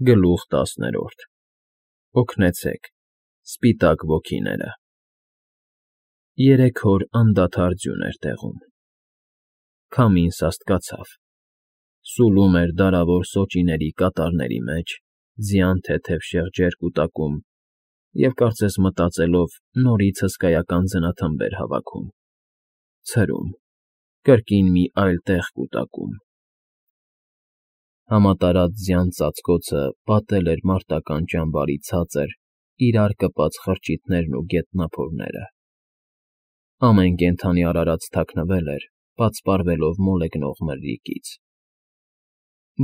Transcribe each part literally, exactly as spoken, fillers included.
Գլուխ տասներորդ Օգնեցեք, սպիտակ ոգիները… Երեք օր անդադար ձյուն էր տեղում, քամին սաստկացավ, սուլում էր դարավոր սոճիների կատարների մեջ, ձյան թեթև շեղջեր կուտակում և, կարծես մտածելով, նորից հսկայական ձնաթմբեր հավաքում, ցրում, կրկին մի այլ տեղ կուտակում… Համատարած ձյան ծածկոցը պատել էր մարտական ճամբարի ցածր, իրար կպած խրճիթներն ու գետնափորները… Ամեն կենդանի արարած թաքնվել էր, պատսպարվելով մոլեգնող մրրիկից…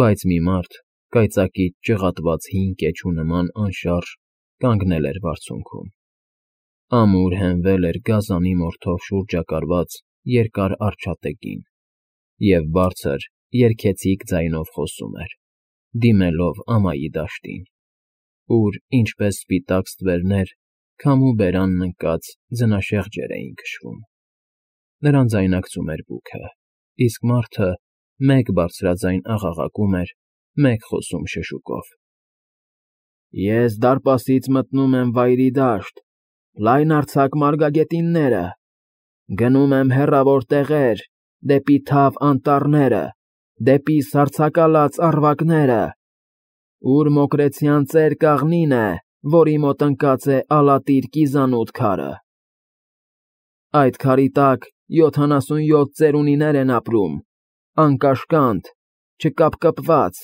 Բայց մի մարդ, կայծակից ճղատված հին կեչու նման անշարժ, կանգնել էր բարձունքում, ամուր հենվել էր գազանի մորթով շուրջակարված երկար արջատեկին և բարձր, երգեցիկ ձայնով խոսում էր, դիմելով ամայի դաշտին, ուր, ինչպես սպիտակ ստվերներ, քամու բերանն ընկած ձնաշեղջեր էին քշվում… Նրան ձայնարկում էր բուքը, իսկ մարդը մեկ բարձրաձայն աղաղակում էր, մեկ խոսում շշուկով. Ես դարպասից մտնում եմ Վայրի Դաշտ, լայնարձակ մարգագետինները, գնում եմ հեռավոր տեղեր, դեպի թավ անտառները, դեպի սառցակալած առվակները, ուր մոկրեցյան ծեր կաղնին է, որի մոտ ընկած է ալատիր կիզանութ քարը… Այդ քարի տակ յոթանասունյոթ ծերունիներ են ապրում, անկաշկանդ, չկապկպված…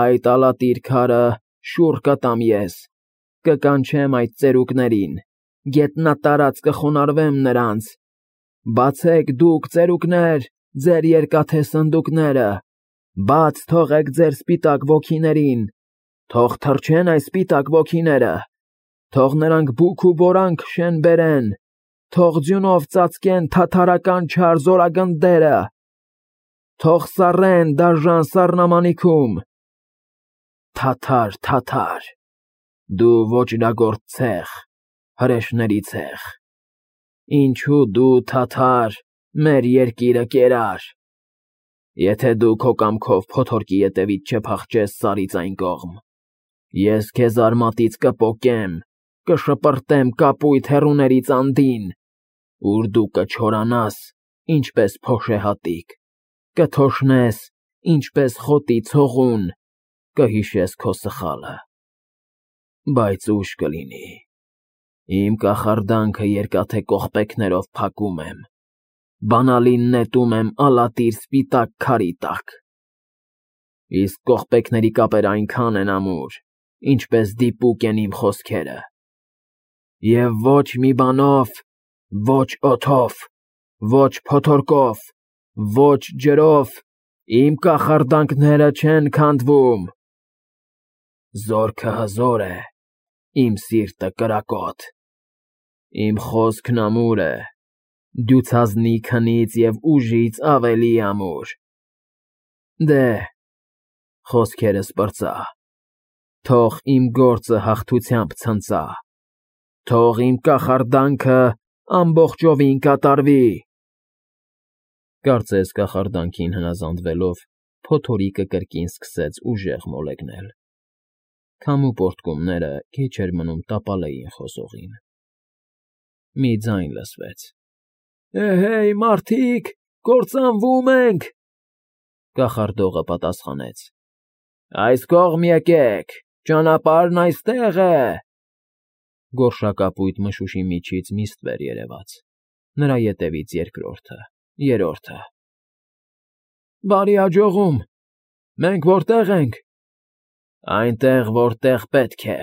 Այդ ալատիր քարը շուռ կտամ ես, կկանչեմ այդ ծերուկներին, գետնատարած կխոնարհվեմ նրանց… Բացեք դուք, ծերուկներ, ձեր երկաթե սնդուկները, բաց թողեք ձեր սպիտակ ոգիներին, թող թռչեն այս սպիտակ ոգիները, թող նրանք բուք ու բորան քշեն֊բերեն, թող ձյունով ծածկեն թաթարական չար զորագնդերը, թող սառեն դաժան սառնամանիքում… Թաթար, թաթար, դու ոճրագործ ցեղ, հրեշների ցեղ, ինչու դու, թաթար, մեր երկիրը կերար… Եթե դու քո կամքով փոթորկի ետևից չփախչես Սարից այն կողմ, ես քեզ արմատից կպոկեմ, կշպրտեմ կապույտ հեռուներից անդին, ուր դու կչորանաս, ինչպես փոշեհատիկ, կթոշնես, ինչպես խոտի ցողուն, կհիշես քո սխալը… Բայց ուշ կլինի, իմ կախարդանքը երկաթե կողպեքներով փակում եմ, բանալին նետում եմ ալատիր սպիտակ քարի տակ… Իսկ կողպեքների կապերը այնքան են ամուր, ինչպես դիպուկ են իմ խոսքերը… Եվ ոչ մի բանով, ոչ օդով, ոչ փոթորկով, ոչ ջրով իմ կախարդանքները չեն քանդվում… Զորքը հզոր է, իմ սիրտը կրակոտ, իմ խոսքն ամուր է, դյուցազնի քնից և ուժից ավելի ամուր… Դե, խոսքերս պրծա, թող իմ գործը հաղթությամբ ցնծա, թող իմ կախարդանքը ամբողջովին կատարվի… Կարծես կախարդանքին հնազանդվելով, փոթորիկը կրկին սկսեց ուժեղ մոլեգնել… Քամու պոռթկումները քիչ էր մնում տապալեին խոսողին… Մի ձայն լսվեց. Էհեյ, մարդիկ, կործանվում ենք… Կախարդողը պատասխանեց. Այս կողմ եկեք, ճանապարհն այստեղ է… Գորշակապույտ մշուշի միջից մի ստվեր երևաց, նրա ետևից երկրորդը, երրորդը… Բարի աջողում, մենք որտե՞ղ ենք… Այնտեղ, որտեղ պետք է…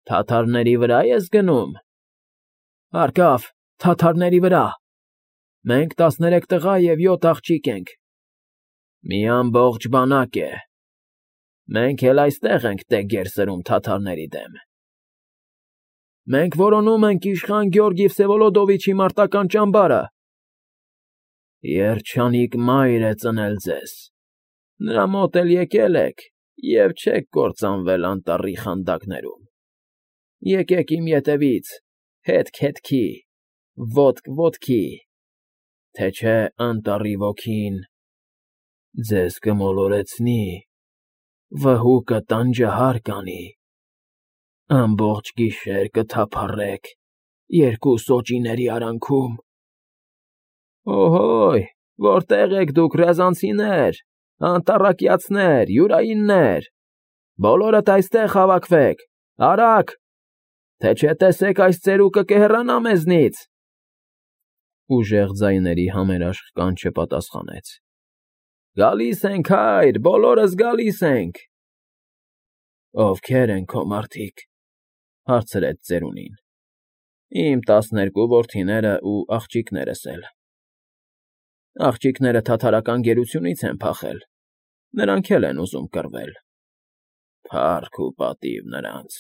Թաթարների վրա ես գնում… Հարկավ, թաթարների վրա… Մենք տասներեք տղա և յոթ աղջիկ ենք… Մի ամբողջ բանակ է… Մենք էլ այստեղ ենք տեգեր սրում թաթարների դեմ… Մենք որոնում ենք իշխան Գյորգի Վսևոլոդովիչի մարտական ճամբարը… Երջանիկ մայր է ծնել ձեզ… Նրա մոտ էլ եկել եք և չեք կործանվել անտառի խանդակներում… Եկեք իմ ետևից, հետք հետքի, ոտք ոտքի, թե չէ անտառի ոգին ձեզ կմոլորեցնի Վհուկը տանջահար կանի, ամբողջ գիշեր կթափառեք երկու սոճիների արանքում։ Օհոյ, որտե՞ղ եք դուք, ռязանցիներ, անտառակիացներ, յուրայիններ, բոլորդ այստեղ հավաքվեք, արագ, թե չէ տեսեք այս ծերուկը կհեռանա մեզնից։ Ուժեղ ձայների համերաշխ կանչը պատասխանեց. Գալիս ենք, հայր, բոլորս գալիս ենք։ Ովքե՞ր են քո մարդիկ, հարցրեց ծերունին։ Իմ տասներկու որդիները ու աղջիկներս էլ։ Աղջիկները թաթարական գերությունից են փախել, նրանք էլ են ուզում կռվել։ Փառք ու պատիվ նրանց։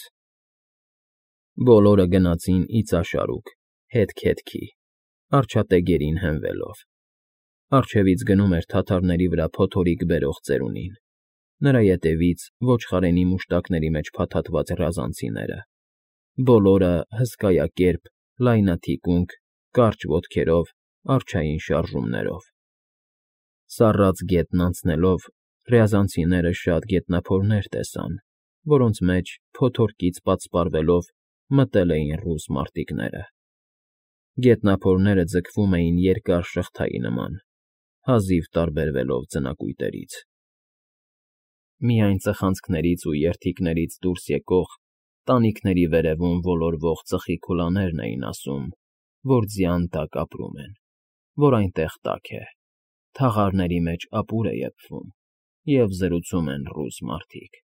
Բոլորը գնացին իծաշարուկ, հետք֊հետքի, առջատեգերին հենվելով։ Առջևից գնում էր թաթարների վրա փոթորիկ բերող ծերունին, նրա ետևից ոչխարենի մուշտակների մեջ փաթաթված ռազանցիները, բոլորը հսկայակերպ, լայնաթիկունք, կարճ ոտքերով, արջային շարժումներով։ Սառած գետն անցնելով, ռязանցիները շատ գետնափորներ տեսան, որոնց մեջ, փոթորկից պատսպարվելով, մտել էին ռուս մարտիկները։ Գետնափորները ձգվում էին երկար շղթայի նման, հազիվ տարբերվելով ձնակույտերից։ Միայն ծխանցքներից ու երթիկներից դուրս եկող, տանիքների վերևում ոլորվող ծխի քուլաներն էին ասում, որ ձյան տակ ապրում են, որ այնտեղ տաք է, թաղարների մեջ ապուր է եփվում, և զրուցում են ռուս մարդիկ։